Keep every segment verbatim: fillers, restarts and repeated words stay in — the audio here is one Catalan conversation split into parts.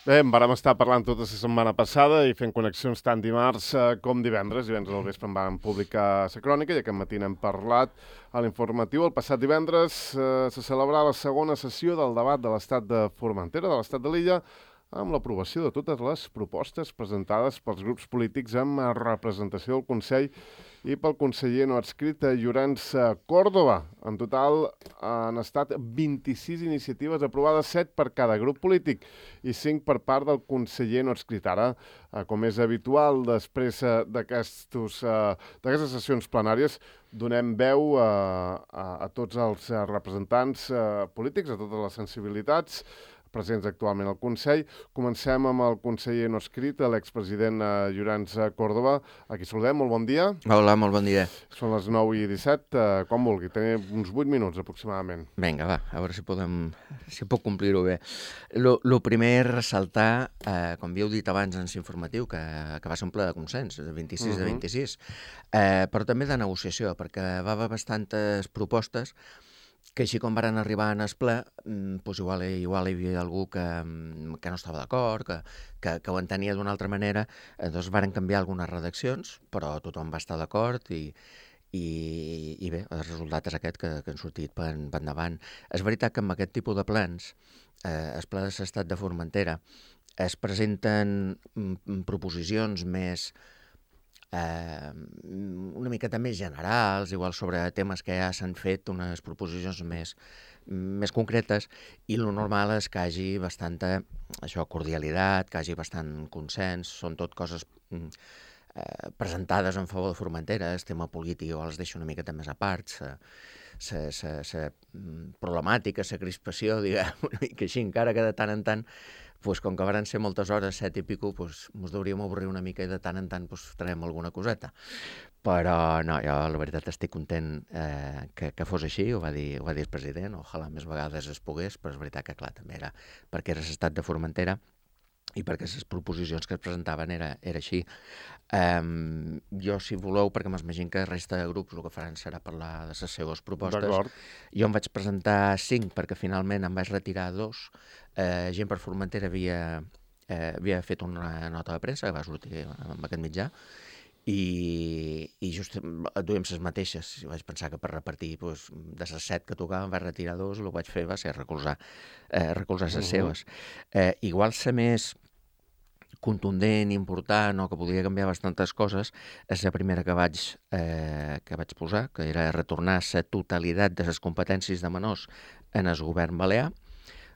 Bé, en vàrem estar parlant tota la setmana passada i fent connexions tant dimarts eh, com divendres. Divendres al vespre en vam publicar la crònica i aquest matí n'hem parlat a l'informatiu. El passat divendres eh, se celebrava la segona sessió del debat de l'estat de Formentera, de l'estat de l'illa, amb l'aprovació de totes les propostes presentades pels grups polítics amb representació del Consell i pel conseller no adscrit Llorenç Córdoba. En total han estat vint-i-sis iniciatives aprovades, set per cada grup polític i cinc per part del conseller no adscrit. Ara, com és habitual, després d'aquestes sessions plenàries, donem veu a, a, a tots els representants polítics, a totes les sensibilitats presents actualment al Consell. Comencem amb el conseller no adscrit, l'expresident Llorenç Córdoba. Aquí saludem, molt bon dia. Hola, molt bon dia. Són les nou i disset, com vulgui, tenim uns vuit minuts aproximadament. Vinga, va, a veure si podem, si puc complir-ho bé. Lo, lo primer és ressaltar, eh, com havíeu dit abans en l'informatiu, que, que va ser un ple de consens, de vint-i-sis uh-huh. de vint-i-sis, eh, però també de negociació, perquè va haver bastantes propostes que així com varen arribar en el ple, doncs igual, igual hi havia algú que, que no estava d'acord, que, que, que ho entenia d'una altra manera, doncs varen canviar algunes redaccions, però tothom va estar d'acord i, i, i bé, el resultat és aquest que, que han sortit per, per endavant. És veritat que amb aquest tipus de plans, eh, el pla de l'estat de Formentera, es presenten mm, proposicions més Eh, una miqueta més generals, igual sobre temes que ja s'han fet, unes proposicions més, més concretes, i el normal és que hi hagi bastanta això, cordialitat, que hi hagi bastant consens, són tot coses eh, presentades en favor de Formentera. El tema polític igual es deixa una miqueta més a part, la problemàtica, la crispació, diguem, una mica així, encara que de tant en tant, pues, com que van ser moltes hores, set i pico, pues, ens hauríem avorrir una mica i de tant en tant pues, traiem alguna coseta. Però no, jo la veritat estic content eh, que, que fos així, ho va dir, ho va dir el president, ojalà més vegades es pogués, però és veritat que clar, també era perquè era l'estat de Formentera i perquè les proposicions que es presentaven era, era així. Um, jo, si voleu, perquè m'imagino que la resta de grups el que faran serà parlar de les seves propostes. Jo em vaig presentar cinc perquè finalment em vaig retirar dos. Eh, gent per Formentera havia, eh, havia fet una nota de premsa que va sortir amb aquest mitjà i, i just duíem les mateixes. Vaig pensar que per repartir doncs, de les set que tocaven vaig retirar dos, el que vaig fer va ser recolzar, eh, recolzar les uh-huh. seves. Eh, igual ser més contundent, important, o que podria canviar bastantes coses, és la primera que vaig, eh, que vaig posar, que era retornar la totalitat de les competències de menors en el govern balear.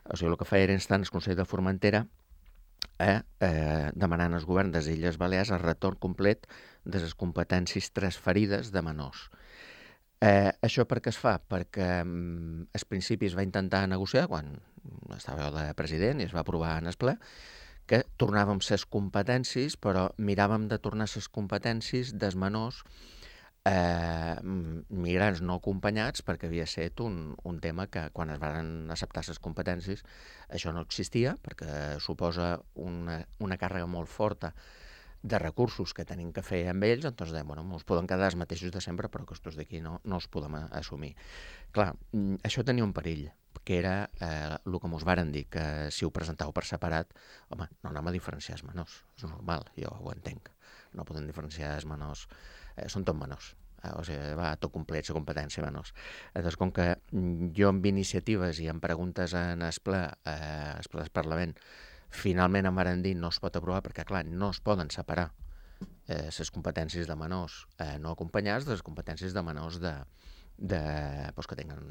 O sigui, el que feia era instar el Consell de Formentera a eh, demanar al govern de les Illes Balears el retorn complet de les competències transferides de menors. Eh, això per què es fa? Perquè mm, al principi es va intentar negociar, quan estava jo de president i es va aprovar en el ple, que tornàvem les competències, però miràvem de tornar les competències dels menors eh, migrants no acompanyats, perquè havia estat un, un tema que quan es van acceptar les competències això no existia, perquè suposa una, una càrrega molt forta de recursos que tenim que fer amb ells, doncs dèiem, bueno, ens poden quedar els mateixos de sempre, però que estos d'aquí no, no els podem assumir. Clar, això tenia un perill, que era eh, el que ens varen dir, que si ho presentàveu per separat, home, no anem a diferenciar els menors, és normal, jo ho entenc, no podem diferenciar els menors, eh, són tot menors, eh, o sigui, va tot complet la competència menors. Llavors, com que jo amb iniciatives i amb preguntes en el ple, eh, el ple del Parlament, finalment em van dir no es pot aprovar perquè, clar, no es poden separar eh, les competències de menors eh, no acompanyats de les competències de menors de, de, doncs, que tenen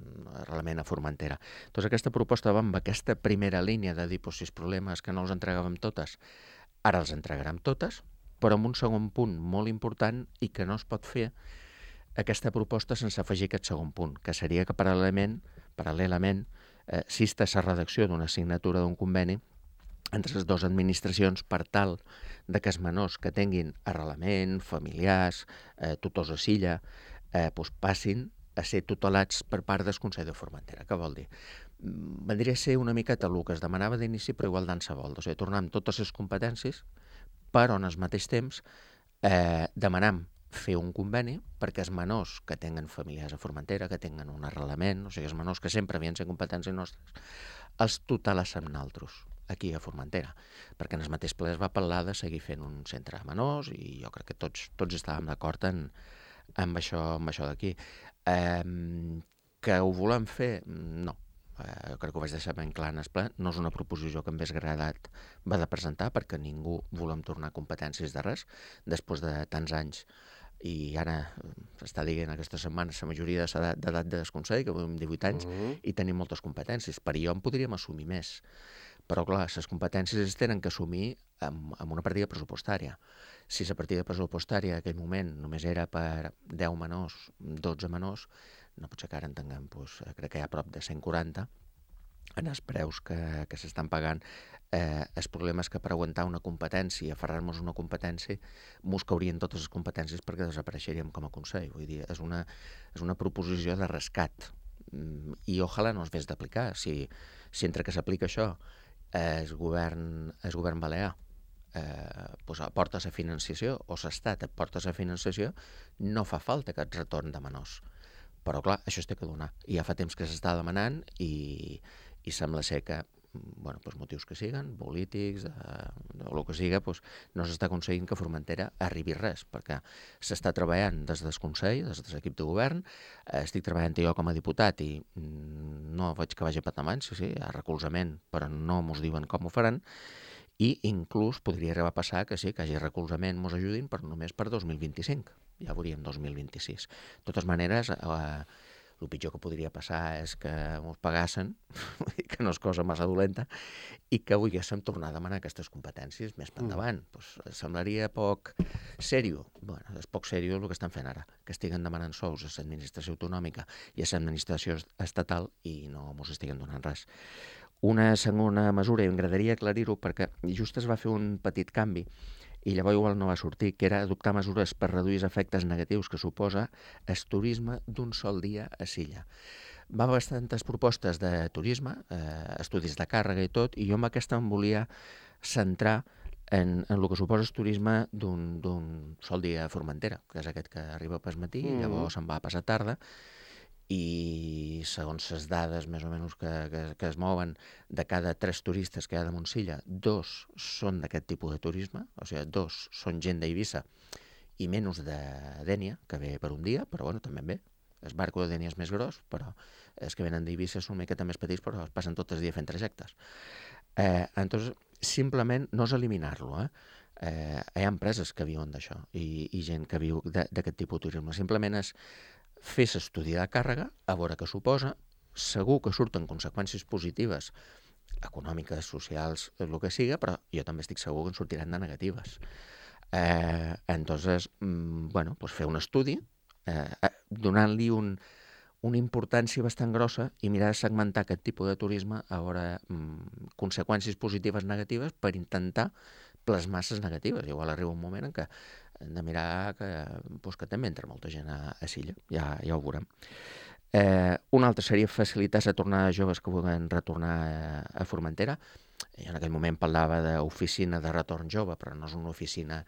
arrelament a Formentera. Doncs aquesta proposta va amb aquesta primera línia de dir, doncs, si els problemes que no els entregàvem totes, ara els entregarem totes, però amb un segon punt molt important i que no es pot fer aquesta proposta sense afegir aquest segon punt, que seria que paral·lelament, paral·lelament eh, exista la redacció d'una signatura d'un conveni entre les dues administracions per tal de que els menors que tinguin arrelament, familiars, eh, tutors a Silla, eh, doncs passin a ser tutelats per part del Consell de Formentera. Què vol dir? Vendria a ser una miqueta el que es demanava d'inici, però igual d'ansa vol. O sigui, tornar amb totes les competències, però en el mateix temps eh, demanam fer un conveni perquè els menors que tenen familiars a Formentera, que tenen un arrelament, o sigui, els menors que sempre havien sigut competències nostres, els tutelats amb naltros. aquí a Formentera, perquè en el mateix ple es va parlar de seguir fent un centre a menors i jo crec que tots, tots estàvem d'acord en, amb això, amb això d'aquí. Eh, que ho volem fer? No. Eh, crec que ho vaig deixar ben clar en el ple. No és una proposició que m'hagués agradat va de presentar perquè ningú volem tornar competències de res després de tants anys. I ara s'està dient aquesta setmana la majoria d'edat del Consell, que tenim divuit anys, uh-huh. i tenim moltes competències. Per jo en podríem assumir més. Però, clar, les competències es tenen que assumir amb, amb una partida pressupostària. Si la partida pressupostària en aquell moment només era per deu menors, dotze menors, no pot ser que ara en tinguem, doncs, crec que hi ha prop de cent quaranta, en els preus que, que s'estan pagant. Eh, el problema és que per aguantar una competència, aferrar-nos a una competència, mos caurien totes les competències perquè desapareixeríem com a Consell. Vull dir, és una, és una proposició de rescat. Mm, I ojalà no es vés d'aplicar. Si, si entre que s'aplica això, el govern, el govern balear eh, pues aporta la financiació o l'Estat aporta la financiació, no fa falta aquest retorn de menors. Però clar, això es té que donar. I ja fa temps que s'està demanant i, i sembla ser que, bueno, pues motius que siguen, polítics, de, o el que siga, pues no s'està aconseguint que Formentera arribi res, perquè s'està treballant des del Consell, des de l'equip de govern, eh, estic treballant jo com a diputat i mm, no veig que vagi a petar mans, sí, sí, hi ha recolzament, però no mos diuen com ho faran, i inclús podria arribar a passar que sí, que hi hagi recolzament, mos ajudin, però només per dos mil vint-i-cinc. Ja veuríem dos mil vint-i-sis. De totes maneres, eh, el pitjor que podria passar és que ens pagassen, que no és cosa massa dolenta, i que volguéssim tornar a demanar aquestes competències més per endavant. Mm. Pues, semblaria poc sèrio. Bueno, és poc sèrio el que estan fent ara, que estiguen demanant sous a l'administració autonòmica i a l'administració estatal i no ens estiguen donant res. Una segona mesura, i m'agradaria aclarir-ho perquè just es va fer un petit canvi i llavors igual no va sortir, que era adoptar mesures per reduir els efectes negatius que suposa el turisme d'un sol dia a Silla. Va haver bastantes propostes de turisme, eh, estudis de càrrega i tot, i jo amb aquesta em volia centrar en, en el que suposa el turisme d'un sol dia a Formentera, que és aquest que arriba pel matí mm. i llavors se'n va a passar tarda, i segons les dades més o menys que, que, que es mouen de cada tres turistes que hi ha de Montsilla, dos són d'aquest tipus de turisme, o sigui, dos són gent d'Eivissa i menys de Dénia, que ve per un dia, però bueno, també ve. El barco de Dénia és més gros, però els que venen d'Eivissa són una miqueta més petits, però es passen tot el dia fent trajectes. Eh, entonces, simplement no és eliminar-lo, eh? Eh, hi ha empreses que viuen d'això i, i gent que viu d'aquest tipus de turisme. Simplement és fer l'estudi de càrrega, a veure què suposa, segur que surten conseqüències positives, econòmiques, socials, el que siga, però jo també estic segur que en sortiran de negatives. Eh, entonces, mm, bueno, pues fer un estudi, eh, donant-li un, una importància bastant grossa i mirar de segmentar aquest tipus de turisme a veure mm, conseqüències positives, negatives, per intentar plasmar les negatives. Igual arriba un moment en què hem de mirar que, doncs, que també entra molta gent a, a Silla, ja, ja ho veurem. Eh, un altre seria facilitar la tornada de joves que vulguin retornar a, a Formentera. Jo en aquell moment parlava d'oficina de retorn jove, però no és una oficina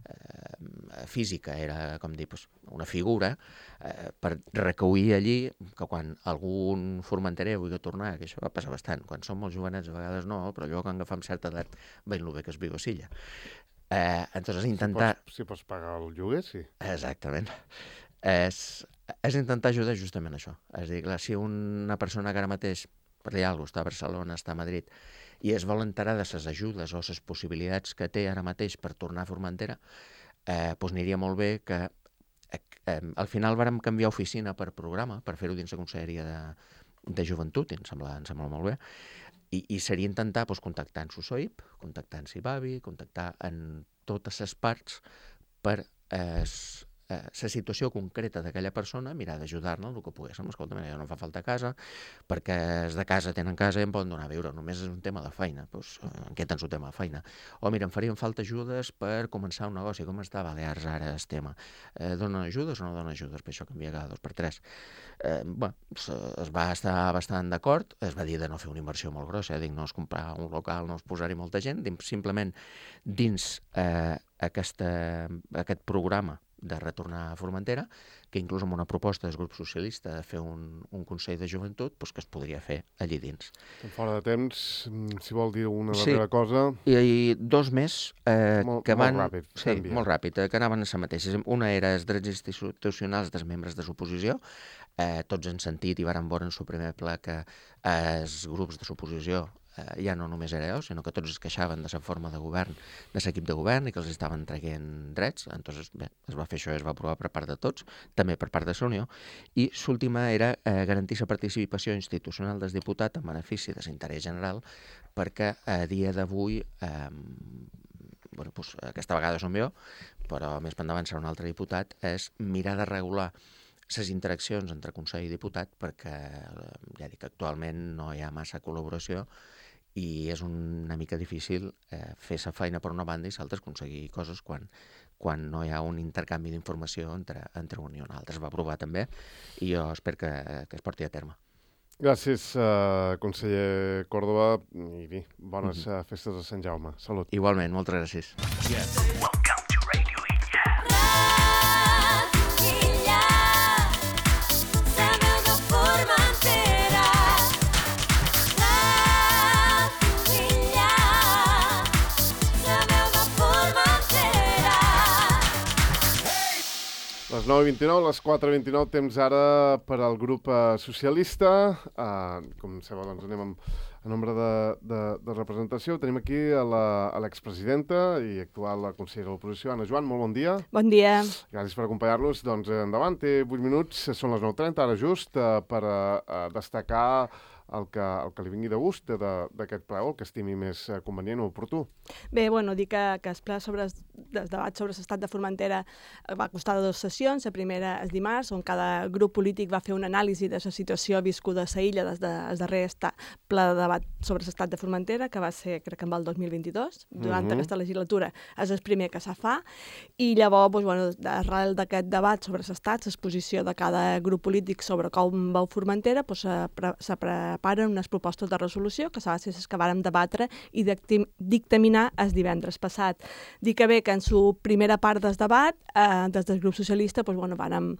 eh, física, era, com dir, doncs, una figura eh, per recollir allí que quan algun formenterer vulgui tornar, que això va passar bastant, quan som molt jovenets a vegades no, però allò quan agafem certa edat veiem el bé que es viu a Silla. Eh, entonces intentar... Si pots, si pots pagar el lloguer, sí. Exactament. És, és intentar ajudar justament això. És a dir, clar, si una persona que ara mateix, per dir alguna cosa, està a Barcelona, està a Madrid, i es vol enterar de les ajudes o les possibilitats que té ara mateix per tornar a Formentera, eh, doncs aniria molt bé que eh, eh, al final vàrem canviar oficina per programa, per fer-ho dins la Conselleria de, de Joventut, i em sembla, em sembla molt bé, i, i seria intentar doncs, contactar en Susoip, contactar en Sibavi, contactar en totes les parts per eh, eh, la situació concreta d'aquella persona, mirar d'ajudar-la el que poguéssim. Escolta, mira, no fa falta casa, perquè els de casa tenen casa i em poden donar a viure, només és un tema de feina, doncs en què tens un tema de feina? O mira, em farien falta ajudes per començar un negoci, com està a Balears ara el tema? Eh, donen ajudes o no donen ajudes? Per això canvia cada dos per tres. Eh, bueno, es va estar bastant d'acord, es va dir de no fer una inversió molt grossa, eh? Dic, no és comprar un local, no és posar-hi molta gent, simplement dins eh, aquesta, aquest programa de retornar a Formentera, que inclús amb una proposta del grup socialista de fer un, un Consell de Joventut, doncs que es podria fer allí dins. Fora de temps, si vol dir una darrera sí. cosa... I, i dos més eh, molt, que van... Molt ràpid. Sí, molt ràpid, eh, que anaven a la mateixa. Una era els drets institucionals dels membres de l'oposició. Eh, tots han sentit i varen veure en el primer ple que eh, els grups de l'oposició eh, ja no només era jo, sinó que tots es queixaven de la forma de govern, de l'equip de govern, i que els estaven traient drets. Entonces, bé, es va fer això i es va aprovar per part de tots, també per part de la Unió. I l'última era eh, garantir la participació institucional del diputat en benefici de l'interès general, perquè a dia d'avui, eh, bueno, doncs, aquesta vegada som jo, però més endavant serà un altre diputat, és mirar de regular les interaccions entre Consell i diputat, perquè ja dic, actualment no hi ha massa col·laboració i és una mica difícil eh, fer la feina per una banda i l'altra aconseguir coses quan, quan no hi ha un intercanvi d'informació entre, entre un i un altre. Es va aprovar també i jo espero que, que es porti a terme. Gràcies, uh, conseller Córdoba, i bé, bones mm-hmm. festes a Sant Jaume. Salut. Igualment, moltes gràcies. Yes. Les nou i vint-i-nou, les quatre i vint-i-nou, temps ara per al grup uh, socialista. Uh, com sabeu, doncs anem amb a nombre de, de, de representació. Tenim aquí a l'expresidenta i actual consellera de l'oposició, Anna Joan. Molt bon dia. Bon dia. Gràcies per acompanyar-nos. Doncs endavant, té vuit minuts, són les nou trenta, ara just, uh, per uh, destacar el que, el que li vingui de gust d'aquest ple, o el que estimi més convenient o oportú. Bé, bueno, dir que, que el ple sobre el debat sobre l'estat de Formentera va costar de dues sessions. La primera és dimarts, on cada grup polític va fer una anàlisi de la situació viscuda a la illa des del darrer ple de debat sobre l'estat de Formentera, que va ser, crec que en el dos mil vint-i-dos. Durant mm-hmm. aquesta legislatura és el primer que se fa. I llavors, doncs, bueno, arrel d'aquest debat sobre l'estat, l'exposició de cada grup polític sobre com veu Formentera, doncs, se, pre se preparen unes propostes de resolució que s'ha de ser les que vàrem debatre i dictaminar el divendres passat. Dic que bé que en la primera part del debat, eh, des del grup socialista, doncs, bueno, vàrem,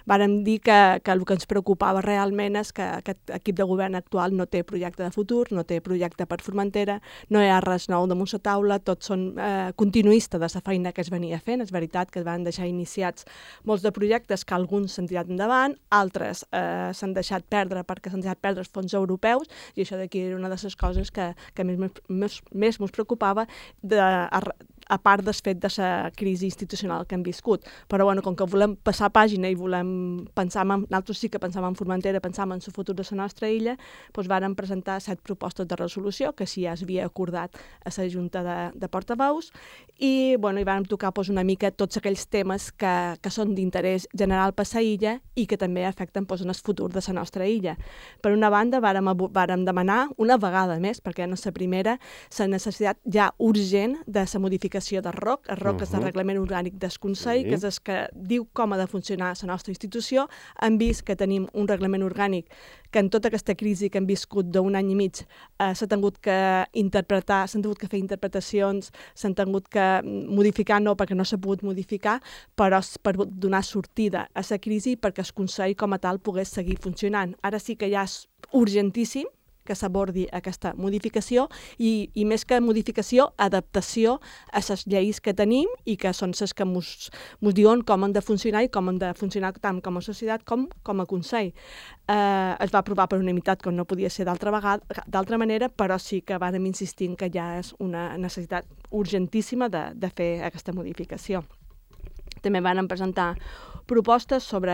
vàrem dir que, que el que ens preocupava realment és que aquest equip de govern actual no té projecte de futur, no té projecte per Formentera, no hi ha res nou damunt la taula, tots són eh, continuistes de la feina que es venia fent. És veritat que es van deixar iniciats molts de projectes que alguns s'han tirat endavant, altres eh, s'han deixat perdre perquè s'han deixat perdre els fons europeus, i això d'aquí era una de les coses que, que més, més, més ens preocupava de, a, a part del fet de la crisi institucional que hem viscut. Però bueno, com que volem passar pàgina i volem pensar en, nosaltres sí que pensàvem en Formentera, pensàvem en el futur de la nostra illa, doncs vàrem presentar set propostes de resolució, que sí ja es havia acordat a la Junta de, de Portaveus, i, bueno, i vàrem tocar doncs, una mica tots aquells temes que, que són d'interès general per la illa i que també afecten doncs, en el futur de la nostra illa. Per una banda, vàrem, vàrem demanar una vegada més, perquè en la primera, la necessitat ja urgent de la modificació de R O C. El R O C uh-huh. és el Reglament Orgànic del Consell, sí. que és el que diu com ha de funcionar la nostra institució. Hem vist que tenim un reglament orgànic que en tota aquesta crisi que hem viscut d'un any i mig eh, s'ha tingut que interpretar, s'han tingut que fer interpretacions, s'han tingut que modificar, no perquè no s'ha pogut modificar, però per donar sortida a la crisi perquè el Consell com a tal pogués seguir funcionant. Ara sí que ja és urgentíssim que s'abordi aquesta modificació i, i més que modificació, adaptació a les lleis que tenim i que són les que ens diuen com han de funcionar i com han de funcionar tant com a societat com com a Consell. Eh, es va aprovar per unanimitat, com no podia ser d'altra vegada, d'altra manera, però sí que vàrem insistir que ja és una necessitat urgentíssima de, de fer aquesta modificació. També van presentar propostes sobre,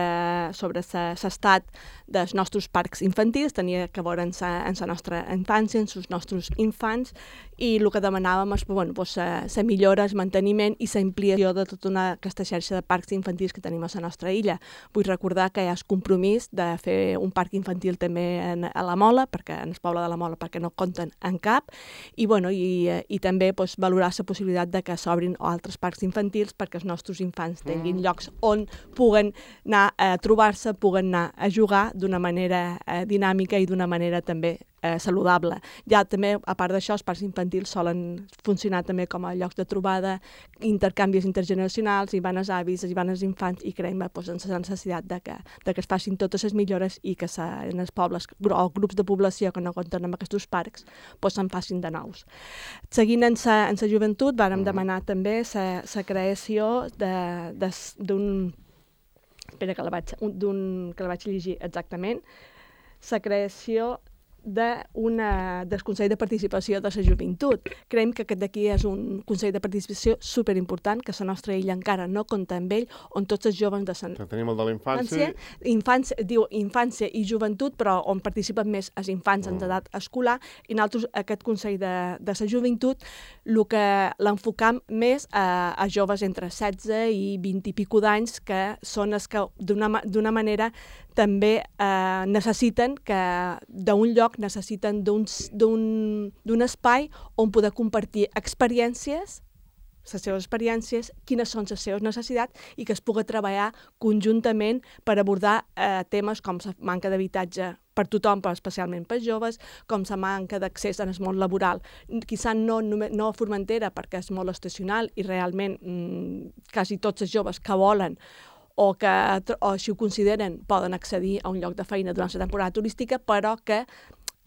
sobre l'estat dels nostres parcs infantils, tenia que veure en la nostra infància, en els nostres infants, i el que demanàvem és bueno, pues, la millora, el manteniment i la ampliació de tota una, aquesta xarxa de parcs infantils que tenim a la nostra illa. Vull recordar que hi ha el compromís de fer un parc infantil també en, a la Mola, perquè en el poble de la Mola, perquè no compten en cap, i, bueno, i, i també pues, valorar la possibilitat de que s'obrin altres parcs infantils perquè els nostres infants tinguin llocs on poder puguen anar a trobar-se, puguen anar a jugar d'una manera eh, dinàmica i d'una manera també eh, saludable. Ja també, a part d'això, els parcs infantils solen funcionar també com a llocs de trobada, intercanvis intergeneracionals, hi van els avis, hi van els infants, i creiem doncs, en la necessitat de que, de que es facin totes les millores i que se, en els pobles o grups de població que no compten amb aquests parcs doncs, se'n facin de nous. Seguint en la joventut, vàrem demanar també la creació d'un... Espera, que la vaig, d'un, que la vaig llegir exactament. La creació de una, del Consell de Participació de la Joventut. Creiem que aquest d'aquí és un Consell de Participació superimportant, que la nostra illa encara no compta amb ell, on tots els joves de la... Tenim el de la infància. Infància, diu infància i joventut, però on participen més els infants en edat escolar, i nosaltres, aquest Consell de, de la Joventut, el que l'enfocam més a, a joves entre setze i vint i pico d'anys, que són els que d'una manera també eh, necessiten que d'un lloc necessiten d'un espai on poder compartir experiències, les seves experiències, quines són les seves necessitats i que es pugui treballar conjuntament per abordar eh, temes com la manca d'habitatge per tothom, però especialment pels joves, com la manca d'accés al món laboral. Quizà no, no a Formentera, perquè és molt estacional i realment mmm, quasi tots els joves que volen o que, o si ho consideren, poden accedir a un lloc de feina durant la temporada turística, però que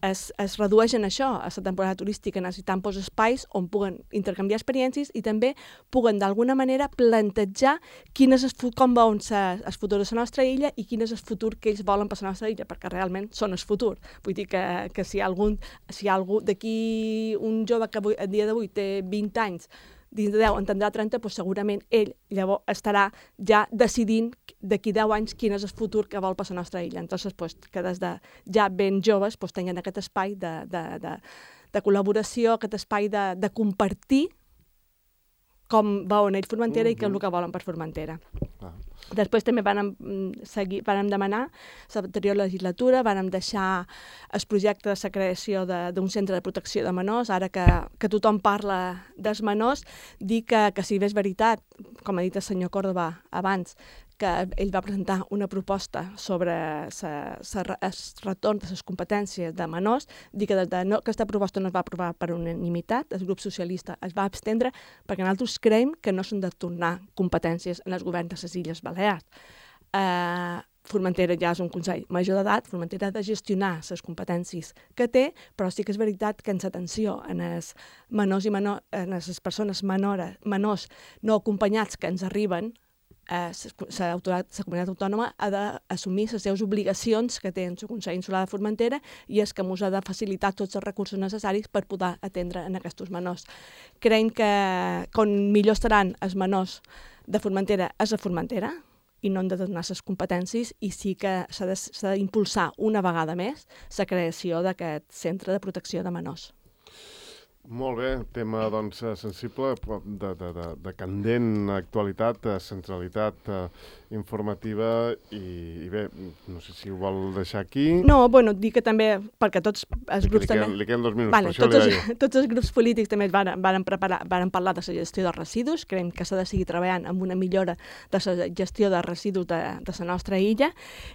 es, es redueixen això, a la temporada turística, necessitant pues, espais on puguen intercanviar experiències i també puguen d'alguna manera plantejar quin és el, com veuen el futur de la nostra illa i quin és el futur que ells volen per la nostra illa, perquè realment són el futur. Vull dir que, que si hi ha algun, si hi ha algú d'aquí, un jove que avui, a dia d'avui té vint anys, dins de deu en tindrà trenta, doncs segurament ell llavors estarà ja decidint d'aquí deu anys quin és el futur que vol per la nostra illa. Entonces, pues, que des de ja ben joves pues, tinguin aquest espai de, de, de, de col·laboració, aquest espai de, de compartir com veuen ells Formentera mm-hmm. i què és el que volen per Formentera. Ah. Després també vam, seguir, vam demanar, l'anterior legislatura, vam deixar el projecte de la creació d'un centre de protecció de menors, ara que, que tothom parla dels menors, dir que, que si bé és veritat, com ha dit el senyor Córdoba abans, que ell va presentar una proposta sobre el retorn de les competències de menors, dir que de, no, aquesta proposta no es va aprovar per unanimitat, el grup socialista es va abstendre perquè nosaltres creiem que no s'han de tornar competències en els governs de les Illes Balears. Eh, Formentera ja és un consell major d'edat, Formentera ha de gestionar les competències que té, però sí que és veritat que en l'atenció en els menors i menors, en les persones menores, menors no acompanyats que ens arriben, la comunitat autònoma ha d'assumir les seves obligacions que té en el Consell Insular de Formentera i és que ens ha de facilitar tots els recursos necessaris per poder atendre en aquests menors. Creiem que com millor estaran els menors de Formentera és a Formentera i no han de donar les competències i sí que s'ha d'impulsar una vegada més la creació d'aquest centre de protecció de menors. Molt bé, tema doncs, sensible, de, de, de, de candent actualitat, centralitat eh, informativa i, i bé, no sé si ho vol deixar aquí. No, bueno, dir que també, perquè tots els grups li, li també... Li queden dos minuts, vale, per això tots li els, deia. Tots els grups polítics també van, van, preparar, van parlar de la gestió de residus, creiem que s'ha de seguir treballant amb una millora de la gestió de residus de, de la nostra illa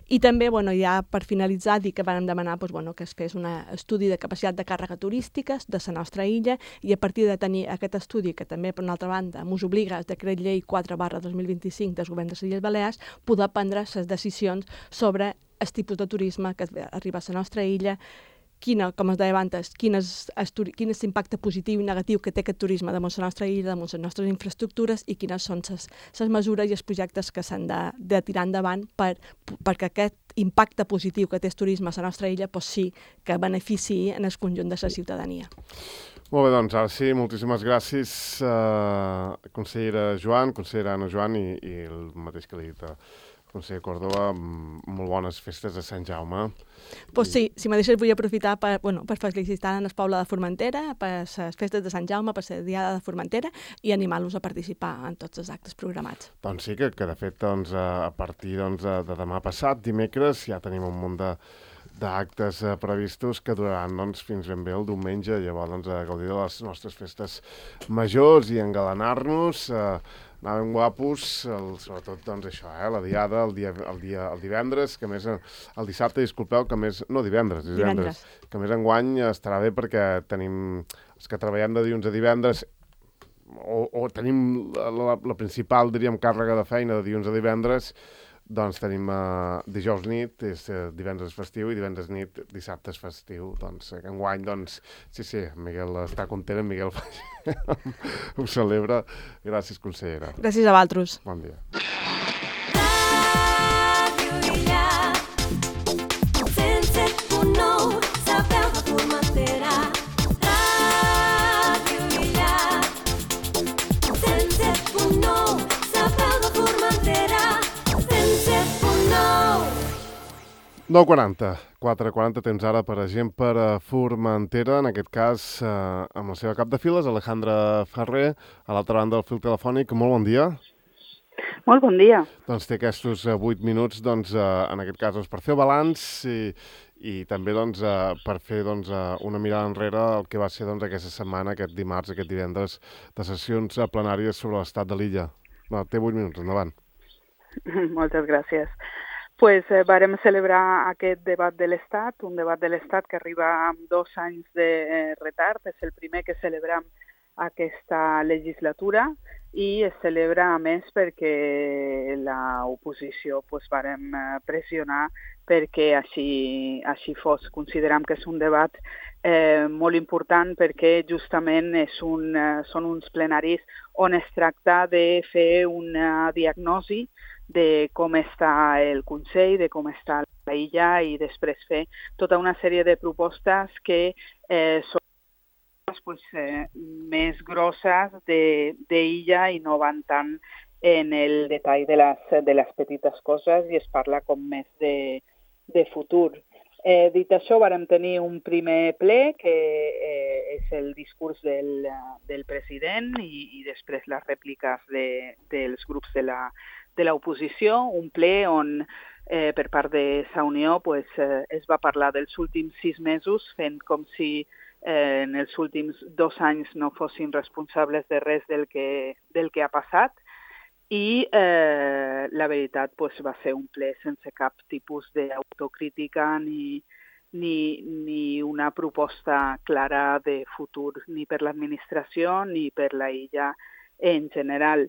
i també, bueno, ja per finalitzar, dir que vam demanar doncs, bueno, que es fes un estudi de capacitat de càrrega turística de la nostra illa i a partir de tenir aquest estudi, que també, per una altra banda, ens obliga el decret llei quatre barra dos mil vint-i-cinc dels governs de les Illes Balears, poder prendre les decisions sobre el tipus de turisme que arriba a la nostra illa, quina, com es deia abans, quin és, quin és l'impacte positiu i negatiu que té aquest turisme damunt la nostra illa, damunt les nostres infraestructures i quines són les mesures i els projectes que s'han de, de tirar endavant per, perquè aquest impacte positiu que té el turisme a la nostra illa pues sí que beneficiï en el conjunt de la ciutadania. Molt bé, doncs ara sí, moltíssimes gràcies, eh, consellera Joan, consellera Anna Joan i, i el mateix que li he dit a conseller Córdoba, molt bones festes de Sant Jaume. Pues sí, si me deixes vull aprofitar per, bueno, per felicitar el poble de Formentera, per les festes de Sant Jaume, per la Diada de Formentera i animar-los a participar en tots els actes programats. Doncs sí, que, que de fet doncs, a partir doncs, de, de demà passat, dimecres, ja tenim un munt de d'actes eh, previstos que duraran doncs, fins ben bé el diumenge, llavors doncs, a gaudir de les nostres festes majors i engalanar-nos, eh, anar ben guapos, el, sobretot doncs, això, eh, la diada, el, dia, el, dia, el divendres, que a més el dissabte, disculpeu, que a més, no divendres, divendres, divendres. que a més enguany estarà bé perquè tenim els que treballem de dilluns a divendres, o, o tenim la, la, la principal, diríem, càrrega de feina de dilluns a divendres, doncs tenim uh, dijous nit, és uh, divendres festiu, i divendres nit, dissabte és festiu. Doncs uh, enguany, doncs, sí, sí, Miguel està content, en Miguel ho celebra. Gràcies, consellera. Gràcies a vosaltres. Bon dia. nou quaranta, quatre quaranta temps ara per a gent per a Formentera, en aquest cas eh, amb la seva cap de files, Alejandra Ferrer, a l'altra banda del fil telefònic. Molt bon dia. Molt bon dia. Doncs té aquests vuit minuts, doncs, eh, en aquest cas, doncs, per fer balanç i, i també doncs, eh, per fer doncs, eh, una mirada enrere al que va ser doncs, aquesta setmana, aquest dimarts, aquest divendres, de sessions plenàries sobre l'estat de l'illa. No, té vuit minuts, endavant. Moltes gràcies. Pues eh, vàrem celebrar aquest debat de l'Estat, un debat de l'Estat que arriba amb dos anys de eh, retard. És el primer que celebrem aquesta legislatura i es celebra a més perquè l'oposició pues, vàrem pressionar perquè així, així fos. Considerem que és un debat eh, molt important perquè justament és un, eh, són uns plenaris on es tracta de fer una diagnosi de com està el Consell, de com està la illa i després fer tota una sèrie de propostes que eh, són pues, eh, més grosses d'illa i no van tant en el detall de les, de les petites coses i es parla com més de, de futur. Eh, dit això, vàrem tenir un primer ple que eh, és el discurs del, del president i, i després les rèpliques de, dels grups de la de l'oposició, un ple on eh, per part de Sa Unió pues, eh, es va parlar dels últims sis mesos, fent com si eh, en els últims dos anys no fossin responsables de res del que, del que ha passat. I eh, la veritat pues, va ser un ple sense cap tipus d'autocrítica ni, ni, ni una proposta clara de futur ni per l'administració ni per la illa en general.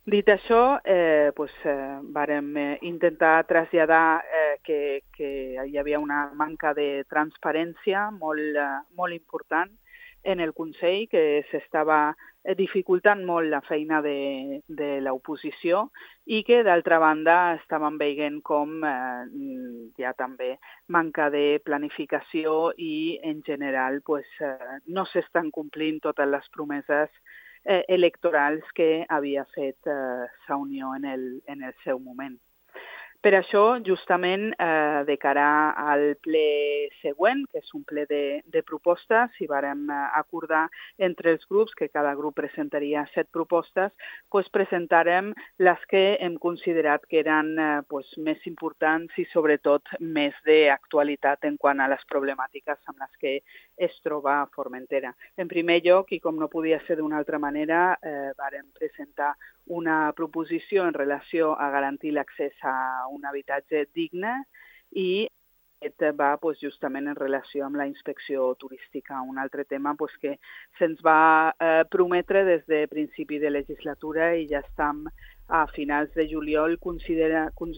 Dit això, eh, pues, eh, vàrem eh, intentar traslladar eh, que, que hi havia una manca de transparència molt, eh, molt important en el Consell, que s'estava dificultant molt la feina de, de l'oposició i que, d'altra banda, estàvem veient com eh, hi ha també manca de planificació i, en general, pues, eh, no s'estan complint totes les promeses Eh, electorals que havia fet eh, Sa Unió en el, en el seu moment. Per això, justament, eh, de cara al ple següent, que és un ple de, de propostes, i vàrem acordar entre els grups que cada grup presentaria set propostes, pues presentarem les que hem considerat que eren eh, pues, més importants i, sobretot, més d'actualitat en quant a les problemàtiques amb les que es troba Formentera. En primer lloc, i com no podia ser d'una altra manera, eh, vàrem presentar una proposició en relació a garantir l'accés a un habitatge digne i aquest va pues, justament en relació amb la inspecció turística, un altre tema pues, que se'ns va eh, prometre des de principi de legislatura i ja estem a finals de juliol, considera, con,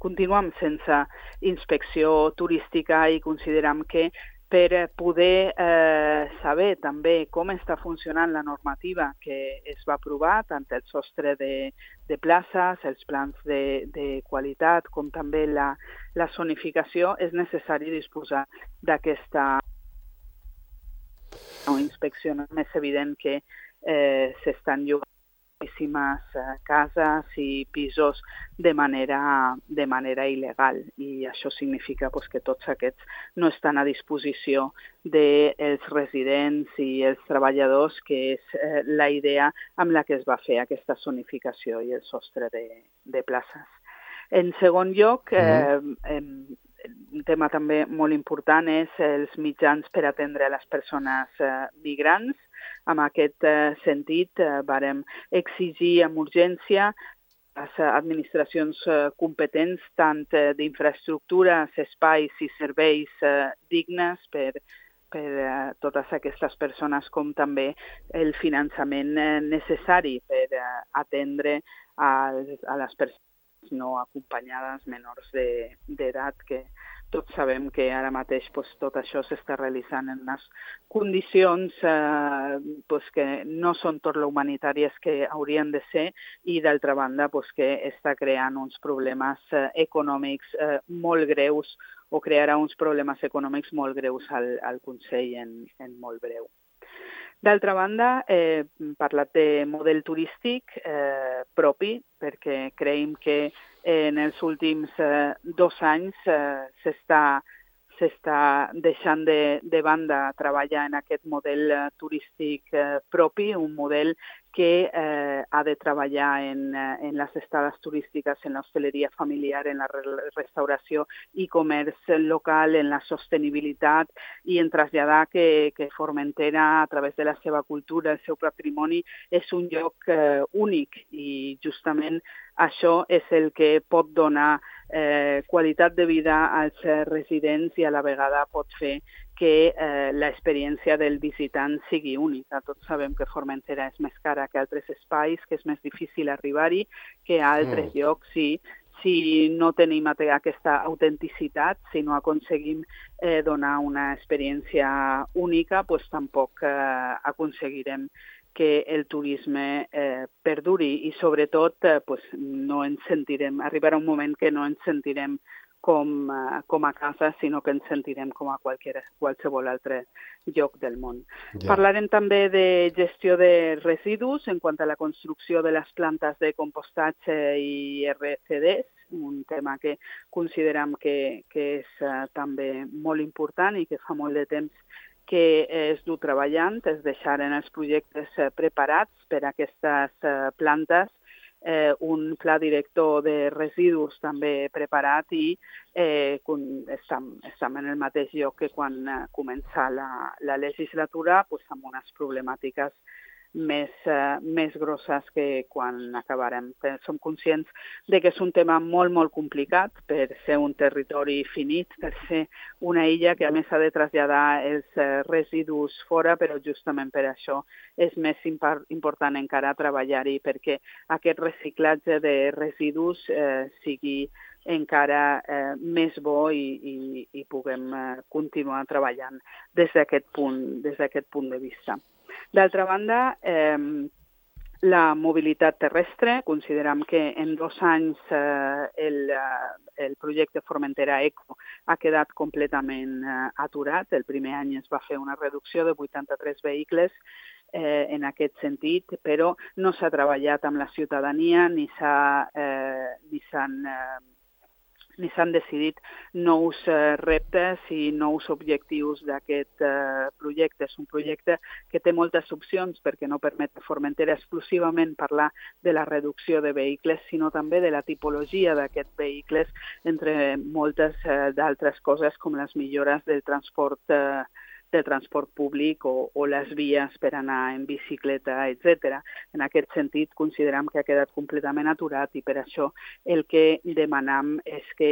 continuem sense inspecció turística i considerem que per poder eh, saber també com està funcionant la normativa que es va aprovar, tant el sostre de, de places, els plans de, de qualitat, com també la, la zonificació, és necessari disposar d'aquesta inspecció. És evident que eh, s'estan llogant moltíssimes cases i pisos de manera, de manera il·legal i això significa pues, que tots aquests no estan a disposició dels residents i els treballadors, que és eh, la idea amb la que es va fer aquesta zonificació i el sostre de, de places. En segon lloc, eh, eh, un tema també molt important és els mitjans per atendre les persones eh, migrants. En aquest eh, sentit, eh, vàrem exigir amb urgència les administracions eh, competents tant eh, d'infraestructures, espais i serveis eh, dignes per, per eh, totes aquestes persones, com també el finançament eh, necessari per eh, atendre a, a les persones no acompanyades menors d'edat, que tots sabem que ara mateix pues, tot això s'està realitzant en unes condicions eh, pues, que no són tot lo humanitàries que haurien de ser i, d'altra banda, pues, que està creant uns problemes eh, econòmics eh, molt greus o crearà uns problemes econòmics molt greus al, al Consell en, en molt breu. D'altra banda, eh, hem parlat de model turístic eh, propi, perquè creiem que eh, en els últims eh, dos anys eh, s'està s'està deixant de, de banda treballar en aquest model eh, turístic eh, propi, un model que eh, ha de treballar en, en les estades turístiques, en l'hostaleria familiar, en la restauració i comerç local, en la sostenibilitat i en traslladar que, que Formentera, a través de la seva cultura, el seu patrimoni, és un lloc eh, únic i justament això és el que pot donar eh, qualitat de vida als residents i a la vegada pot fer que eh, l'experiència del visitant sigui única. Tots sabem que Formentera és més cara que altres espais, que és més difícil arribar-hi que a altres mm. llocs. Si, si no tenim aquesta autenticitat, si no aconseguim eh, donar una experiència única, pues tampoc eh, aconseguirem que el turisme eh, perduri i sobretot eh, pues, no ens sentirem, arribarà un moment que no ens sentirem com, uh, com a casa, sinó que ens sentirem com a qualsevol, qualsevol altre lloc del món. Yeah. Parlarem també de gestió de residus en quant a la construcció de les plantes de compostatge i R C Ds, un tema que considerem que, que és uh, també molt important i que fa molt de temps que es du treballant, es deixaren els projectes uh, preparats per a aquestes uh, plantes, Eh, un pla director de residus també preparat i eh, estem, estem en el mateix lloc que quan eh, comença la, la legislatura, pues, amb unes problemàtiques més, eh, més grosses que quan acabarem. Som conscients de que és un tema molt, molt complicat per ser un territori finit, per ser una illa que a més ha de traslladar els eh, residus fora, però justament per això és més important encara treballar-hi perquè aquest reciclatge de residus eh, sigui encara eh, més bo i, i, i puguem eh, continuar treballant des d'aquest punt, des d'aquest punt de vista. D'altra banda, eh, la mobilitat terrestre, considerem que en dos anys eh, el, el projecte Formentera Eco ha quedat completament eh, aturat. El primer any es va fer una reducció de vuitanta-tres vehicles eh, en aquest sentit, però no s'ha treballat amb la ciutadania ni s'ha, eh, ni s'han eh, ni s'han decidit nous eh, reptes i nous objectius d'aquest eh, projecte. És un projecte que té moltes opcions perquè no permet a Formentera exclusivament parlar de la reducció de vehicles, sinó també de la tipologia d'aquests vehicles, entre moltes eh, d'altres coses com les millores del transport eh, del transport públic o, o les vies per anar en bicicleta, etcètera. En aquest sentit, considerem que ha quedat completament aturat i per això el que demanam és que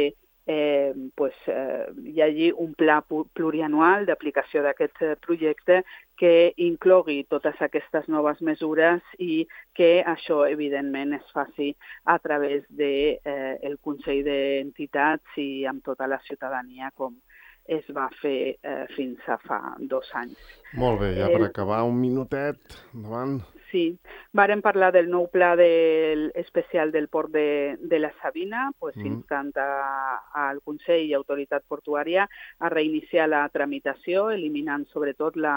eh, pues, eh, hi hagi un pla plurianual d'aplicació d'aquest projecte que inclogui totes aquestes noves mesures i que això, evidentment, es faci a través del de, eh, Consell d'Entitats i amb tota la ciutadania com es va fer eh, fins a fa dos anys. Molt bé, ja per eh, acabar, un minutet, endavant. Sí, vàrem parlar del nou pla del, especial del port de, de la Sabina, pues, mm. instant a, al Consell i Autoritat Portuària a reiniciar la tramitació, eliminant sobretot la,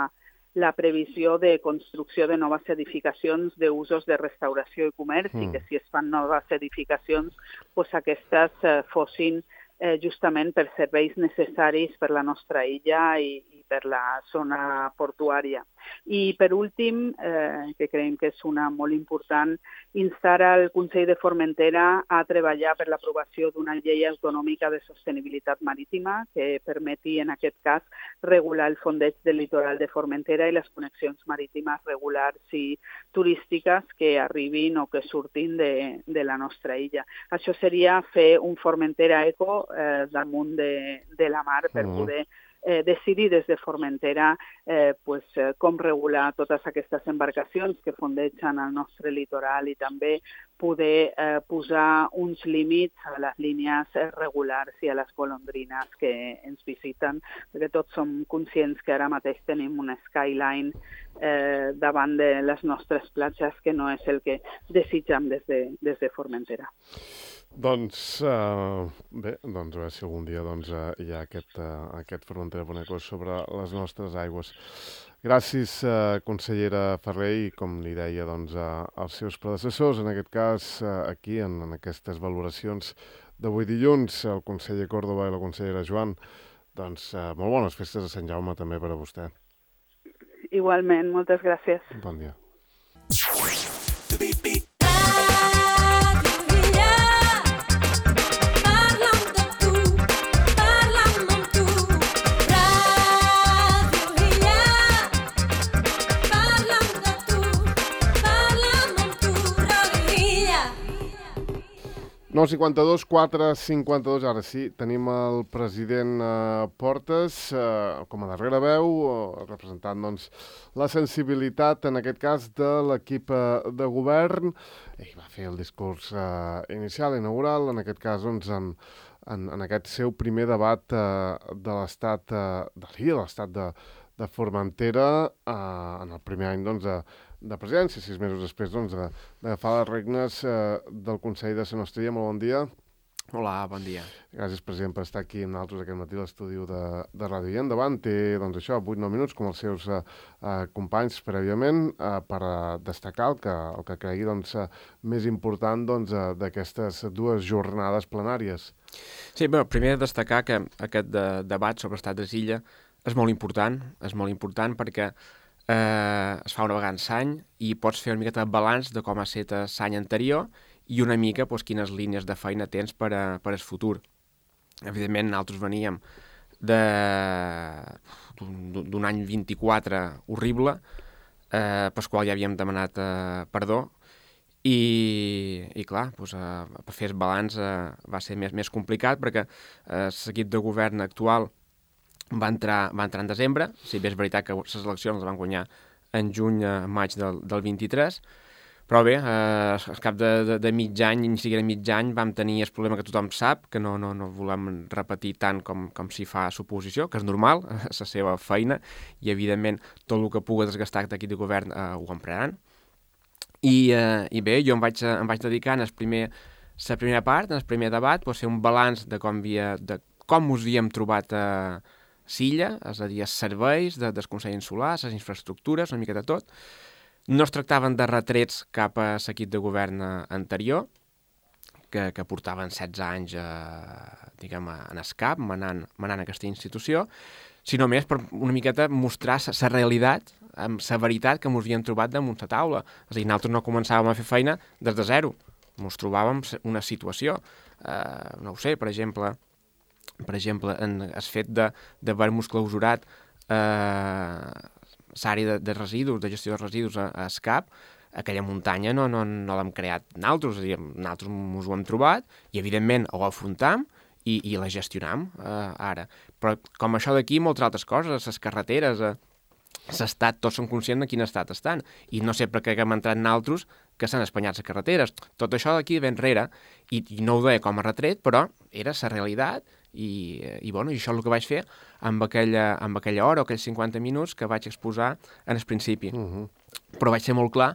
la previsió de construcció de noves edificacions d'usos de restauració i comerç mm. i que si es fan noves edificacions, pues, aquestes eh, fossin Eh, justament per serveis necessaris per la nostra illa i, i per la zona portuària. I per últim, eh, que creiem que és una molt important, instar al Consell de Formentera a treballar per l'aprovació d'una llei autonòmica de sostenibilitat marítima que permeti, en aquest cas, regular el fondeig del litoral de Formentera i les connexions marítimes regulars i turístiques que arribin o que surtin de, de la nostra illa. Això seria fer un Formentera eco eh, damunt de, de la mar per poder eh, decidir des de Formentera eh, pues, eh, com regular totes aquestes embarcacions que fondegen el nostre litoral i també poder eh, posar uns límits a les línies regulars i a les golondrines que ens visiten, perquè tots som conscients que ara mateix tenim un skyline eh, davant de les nostres platges que no és el que desitjam des de, des de Formentera. Doncs, uh, bé, doncs a veure si algun dia doncs, uh, hi ha aquest, uh, aquest Formentera Boneco sobre les nostres aigües. Gràcies, uh, consellera Ferrer, i com li deia doncs, uh, als seus predecessors, en aquest cas uh, aquí, en, en aquestes valoracions d'avui dilluns, el conseller Córdoba i la consellera Joan, doncs uh, molt bones festes de Sant Jaume també per a vostè. Igualment, moltes gràcies. Bon dia. nou cinquanta-dos, quatre cinquanta-dos, ara sí, tenim el president eh, Portes eh, com a darrera veu, eh, representant doncs, la sensibilitat, en aquest cas, de l'equip eh, de govern. Ell va fer el discurs eh, inicial, inaugural, en aquest cas, doncs, en, en, en aquest seu primer debat eh, de l'estat eh, de l'I A, de l'estat de, de Formentera, eh, en el primer any, doncs, de de presidència, sis mesos després doncs, d'agafar les regnes eh, del Consell de Sant Nostria. Molt bon dia. Hola, bon dia. Gràcies, president, per estar aquí amb nosaltres aquest matí a l'estudi de, de Ràdio I. Endavant, té doncs, això, vuit nou minuts, com els seus eh, eh, companys prèviament, eh, per eh, destacar el que, el que cregui doncs, eh, més important doncs, eh, d'aquestes dues jornades plenàries. Sí, bé, primer destacar que aquest de, debat sobre estat d'Illa és molt important, és molt important perquè Eh, es fa una vegada en l'any i pots fer una miqueta de balanç de com ha estat l'any anterior i una mica pues, quines línies de feina tens per, a, per al futur. Evidentment, nosaltres veníem d'un any vint-i-quatre horrible, eh, pel qual ja havíem demanat eh, perdó, i, i clar, pues, eh, per fer el balanç eh, va ser més, més complicat perquè eh, l'equip de govern actual Va entrar, va entrar en desembre, si bé és veritat que les eleccions les van guanyar en juny, a maig del, del vint-i-tres, però bé, eh, al cap de, de, de mig any, ni siquiera mig any, vam tenir el problema que tothom sap, que no, no, no volem repetir tant com, com si fa suposició, que és normal, és la seva feina, i evidentment tot el que pugui desgastar l'equip de govern eh, ho empraran. I, eh, I bé, jo em vaig, em vaig dedicar en el primer, la primera part, en el primer debat, pues, fer un balanç de com, havia, de com us havíem trobat a eh, Silla, és a dir, els serveis de, del Consell Insular, les infraestructures, una mica de tot. No es tractaven de retrets cap a l'equip de govern anterior, que, que portaven setze anys eh, diguem, en el cap, manant, manant aquesta institució, sinó més per una miqueta mostrar la realitat, amb la veritat que ens havíem trobat damunt la taula. És a dir, nosaltres no començàvem a fer feina des de zero, ens trobàvem una situació. Eh, no ho sé, per exemple... Per exemple, en el fet d'haver-nos clausurat eh, l'àrea de, de residus, de gestió de residus a, a SCAP, aquella muntanya no, no, no l'hem creat nosaltres, és a dir, nosaltres ens ho hem trobat i, evidentment, ho afrontam i, i la gestionam eh, ara. Però com això d'aquí, moltes altres coses, les carreteres, eh, l'estat, tots som conscients de quin estat estan, i no sé per què hem entrat nosaltres que s'han espanyat les carreteres. Tot això d'aquí ve enrere, i, i no ho deia com a retret, però era la realitat. I, i, bueno, i això és el que vaig fer amb aquella, amb aquella hora o aquells cinquanta minuts que vaig exposar en el principi. Uh-huh. Però vaig ser molt clar,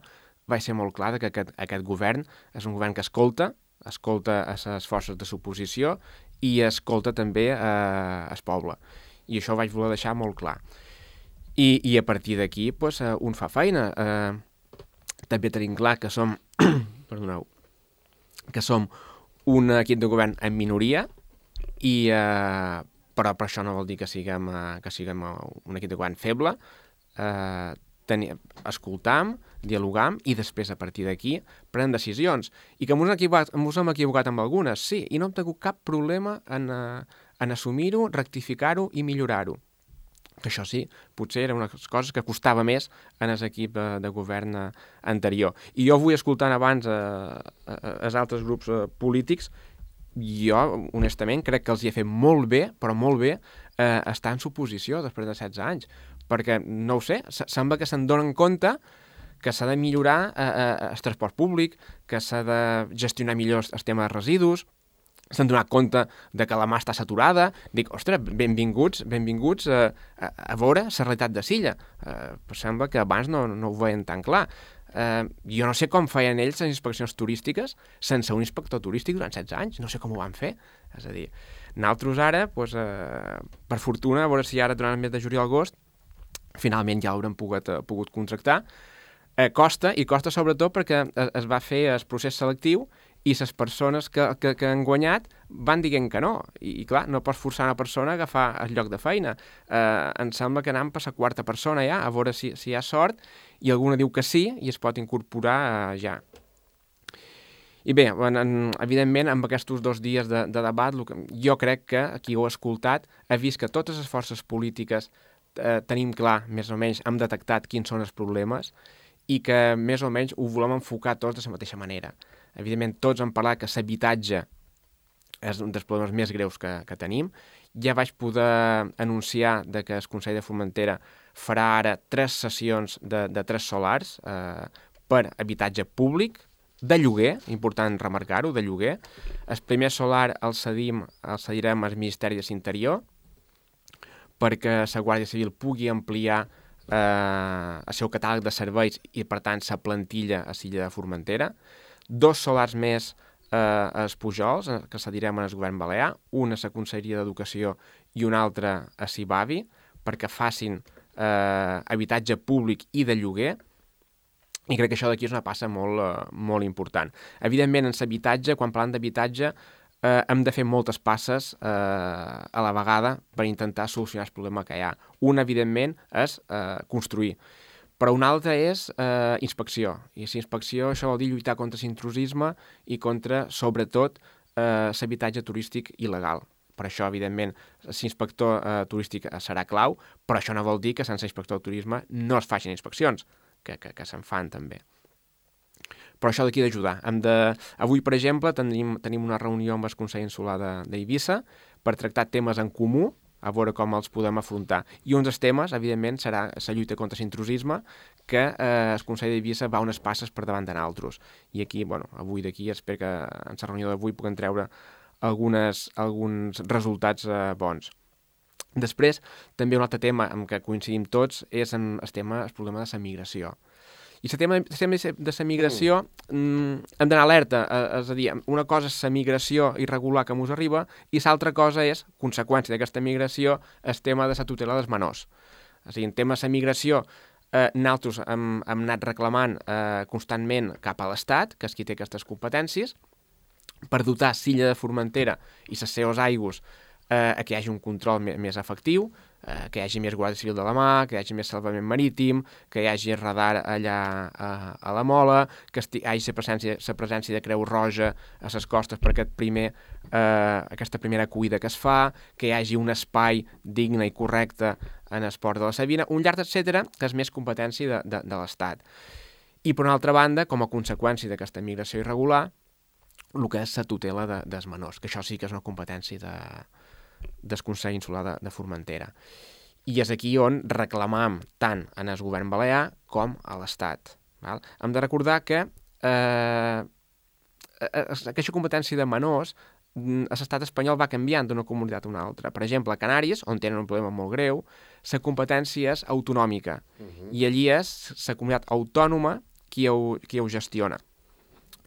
vaig ser molt clar que aquest, aquest govern és un govern que escolta, escolta a les forces de l'oposició i escolta també a el poble. I això ho vaig voler deixar molt clar. I, i a partir d'aquí pues, un fa feina. Eh, també tenim clar que som, perdoneu, que som un equip de govern en minoria, i eh, però per això no vol dir que siguem, uh, que siguem un equip de govern feble. Uh, Teni, escoltam, dialogam i després a partir d'aquí prenem decisions. I que ens hem equivocat, ens hem equivocat amb algunes, sí, i no hem tingut cap problema en, en assumir-ho, rectificar-ho i millorar-ho. Que això sí, potser era una cosa que costava més en l'equip de, de govern anterior. I jo vull escoltant abans els altres grups eh, polítics, jo, honestament, crec que els hi ha fet molt bé, però molt bé, eh, estar en suposició després de setze anys. Perquè, no ho sé, sembla que se'n donen compte que s'ha de millorar eh, eh, el transport públic, que s'ha de gestionar millor el tema de residus, s'han donat compte de que la mà està saturada. Dic, ostres, benvinguts, benvinguts a, a, a veure la realitat de Silla. Eh, però sembla que abans no, no ho veien tan clar. Eh, jo no sé com feien ells les inspeccions turístiques sense un inspector turístic durant setze anys, no sé com ho van fer. És a dir, nosaltres ara, doncs, eh, per fortuna, a veure si ara durant el mes de juliol-agost finalment ja l'haurem pogut, uh, pogut contractar. Eh, costa, i costa sobretot perquè es va fer el procés selectiu i les persones que, que, que han guanyat van dient que no. I, i clar, no pots forçar una persona a agafar el lloc de feina. Eh, em sembla que anem per la quarta persona ja, a veure si, si hi ha sort, i alguna diu que sí i es pot incorporar uh, ja. I bé, en, en, evidentment, amb aquests dos dies de, de debat, que, jo crec que qui ho ha escoltat ha vist que totes les forces polítiques Eh, tenim clar, més o menys, hem detectat quins són els problemes i que més o menys ho volem enfocar tots de la mateixa manera. Evidentment, tots hem parlat que l'habitatge és un dels problemes més greus que, que tenim. Ja vaig poder anunciar de que el Consell de Formentera farà ara tres sessions de, de tres solars eh, per habitatge públic, de lloguer, important remarcar-ho, de lloguer. El primer solar el cedim, el cedirem al Ministeri de l'Interior, perquè la Guàrdia Civil pugui ampliar eh, el seu catàleg de serveis i, per tant, la plantilla a l'illa de Formentera. Dos solars més eh, als Pujols, que cedirem al govern balear, un a la Conselleria d'Educació i un altre a Cibavi, perquè facin eh, habitatge públic i de lloguer. I crec que això d'aquí és una passa molt, eh, molt important. Evidentment, en l'habitatge, quan parlem d'habitatge, Eh, hem de fer moltes passes eh, a la vegada per intentar solucionar el problema que hi ha. Un, evidentment, és eh, construir, però un altre és eh, inspecció. I si inspecció, això vol dir lluitar contra l'intrusisme i contra, sobretot, eh, l'habitatge turístic il·legal. Per això, evidentment, l'inspector eh, turístic serà clau, però això no vol dir que sense inspector de turisme no es facin inspeccions, que, que, que se'n fan també. Però això d'aquí d'ajudar. Hem de... Avui, per exemple, tenim, tenim una reunió amb el Consell Insular d'Eivissa per tractar temes en comú, a veure com els podem afrontar. I un dels temes, evidentment, serà la lluita contra l'intrusisme, que eh, el Consell d'Eivissa va unes passes per davant de nosaltres. I aquí, bueno, avui d'aquí, espero que en la reunió d'avui puguem treure algunes, alguns resultats eh, bons. Després, també un altre tema amb què coincidim tots és en el tema, el problema de la migració. I el tema, el tema de la migració, mm, hem d'anar alerta, eh, és a dir, una cosa és la migració irregular que ens arriba i l'altra cosa és, conseqüència d'aquesta migració, el tema de la tutela dels menors. És a dir, en tema de la migració, eh, nosaltres hem, hem anat reclamant eh, constantment cap a l'Estat, que és qui té aquestes competències, per dotar l'illa de Formentera i les seves aigües eh, que hi hagi un control més, més efectiu, eh, que hi hagi més Guàrdia Civil de la mà, que hi hagi més salvament marítim, que hi hagi radar allà a, a la Mola, que hi hagi la presència, la presència de Creu Roja a les costes per aquest primer, eh, aquesta primera acollida que es fa, que hi hagi un espai digne i correcte en el port de la Sabina, un llarg etcètera que és més competència de, de, de l'Estat. I per una altra banda, com a conseqüència d'aquesta migració irregular, el que és la tutela de, dels menors, que això sí que és una competència de, del Consell Insular de, de Formentera. I és aquí on reclamam tant en el govern balear com a l'Estat. Val? Hem de recordar que eh, aquesta competència de menors l'estat espanyol va canviant d'una comunitat a una altra. Per exemple, a Canàries, on tenen un problema molt greu, la competència és autonòmica. Uh-huh. I allí és la comunitat autònoma qui ho, qui ho gestiona.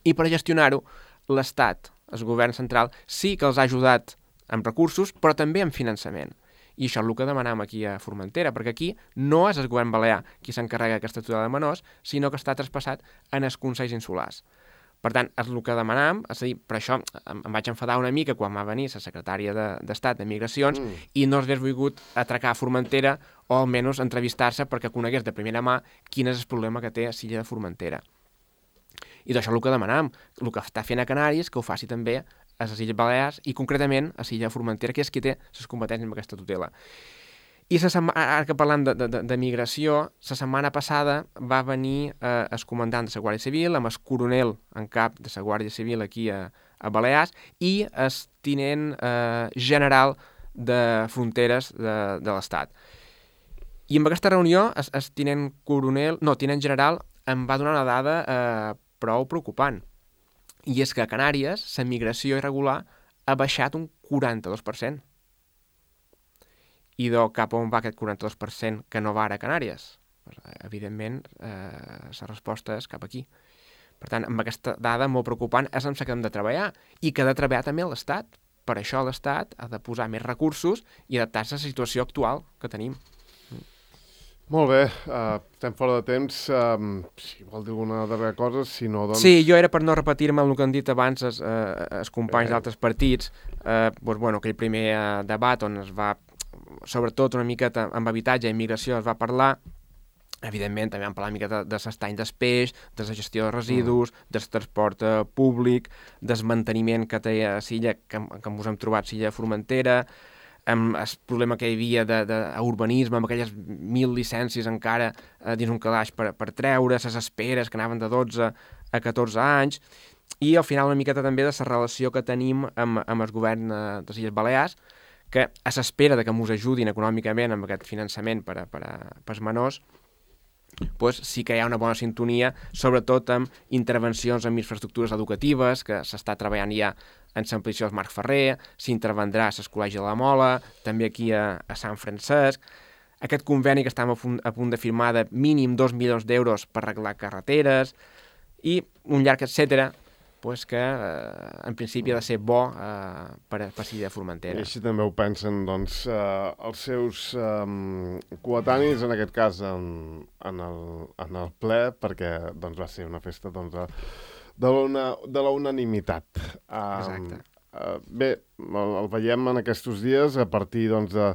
I per gestionar-ho, l'Estat, el govern central, sí que els ha ajudat amb recursos, però també amb finançament. I això és el que demanem aquí a Formentera, perquè aquí no és el govern balear qui s'encarrega d'aquesta tutela de menors, sinó que està traspassat en els consells insulars. Per tant, és el que demanàvem, és a dir, per això em, em vaig enfadar una mica quan va venir la secretària d'Estat de, de Migracions mm. i no hagués volgut atracar a Formentera o almenys entrevistar-se perquè conegués de primera mà quin és el problema que té a l'illa de Formentera. I d'això és el que demanàvem, el que està fent a Canàries, que ho faci també a les Illes Balears i concretament a l'illa de Formentera, que és qui té les competències amb aquesta tutela. I la setmana, ara que parlant de, de, de migració, la setmana passada va venir eh, el comandant de la Guàrdia Civil amb el coronel en cap de la Guàrdia Civil aquí a, a Balears i el tinent eh, general de fronteres de, de l'Estat. I en aquesta reunió el, el tinent coronel, no, tinent general em va donar una dada eh, prou preocupant. I és que a Canàries la migració irregular ha baixat un quaranta-dos per cent. I de cap on va aquest quaranta-dos per cent que no va ara a Canàries? Pues, evidentment, eh, la resposta és cap aquí. Per tant, amb aquesta dada molt preocupant és amb la que hem de treballar i que ha de treballar també l'Estat. Per això l'Estat ha de posar més recursos i adaptar-se a la situació actual que tenim. Molt bé, uh, estem fora de temps. Uh, si vol dir alguna darrera cosa, si no, doncs... Sí, jo era per no repetir-me el que han dit abans els, eh, els companys eh. d'altres partits. Eh, doncs, bueno, aquell primer eh, debat on es va, sobretot una miqueta amb habitatge i immigració es va parlar, evidentment també vam parlar una miqueta de l'estany del peix, de la gestió de residus, mm. del transport eh, públic, del manteniment que té a l'illa, que, que ens hem trobat a l'illa de Formentera, amb el problema que hi havia d'urbanisme, amb aquelles mil llicències encara eh, dins un calaix per, per treure, les esperes que anaven de dotze a catorze anys, i al final una miqueta també de la relació que tenim amb, amb el govern eh, de les Illes Balears, que a l'espera de que ens ajudin econòmicament amb aquest finançament per, a, per, a, per als menors, pues sí que hi ha una bona sintonia, sobretot amb intervencions en infraestructures educatives, que s'està treballant ja en l'ampliació del Marc Ferrer, s'intervendrà a l'Escolegi de la Mola, també aquí a, a Sant Francesc. Aquest conveni que estem a punt, a punt de firmar de mínim dos milions d'euros per arreglar carreteres i un llarg etcètera, pues que eh, en principi ha de ser bo eh, per a Pasilla de Formentera. I així també ho pensen doncs, eh, els seus eh, coetanis, en aquest cas en, en, el, en el ple, perquè doncs, va ser una festa doncs, de, una, de la unanimitat. Eh, Exacte. Eh, bé, el, el veiem en aquests dies a partir doncs, de,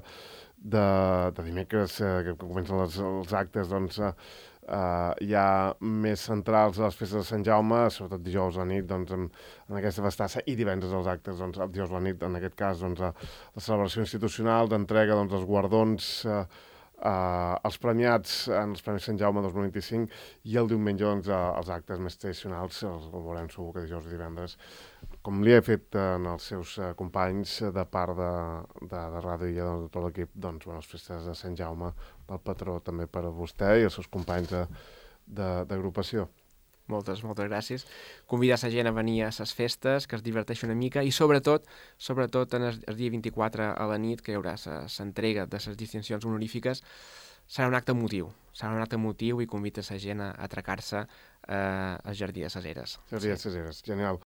de, de dimecres eh, que comencen les, els actes doncs, eh, Uh, hi ha més centrals a les festes de Sant Jaume, sobretot dijous a la nit, doncs, en, en aquesta festassa, i divendres els actes, doncs, el dijous a la nit, en aquest cas, doncs, la celebració institucional d'entrega doncs, dels guardons, uh, uh, els premiats en els Premis Sant Jaume dos mil vint-i-cinc, i el diumenge doncs, uh, els actes més tradicionals, els veurem segur que dijous i divendres, com li he fet en els seus uh, companys de part de, de, de Ràdio i de tot l'equip, doncs, bueno, les festes de Sant Jaume, del patró també per a vostè i els seus companys d'agrupació. Moltes, moltes gràcies. Convidar la gent a venir a les festes, que es diverteixi una mica, i sobretot, sobretot en el, el dia vint-i-quatre a la nit, que hi haurà l'entrega de les distincions honorífiques, serà un acte emotiu. Serà un acte emotiu i convida la gent a atracar-se eh, al Jardí de ses Eres. Jardí de ses Eres, genial.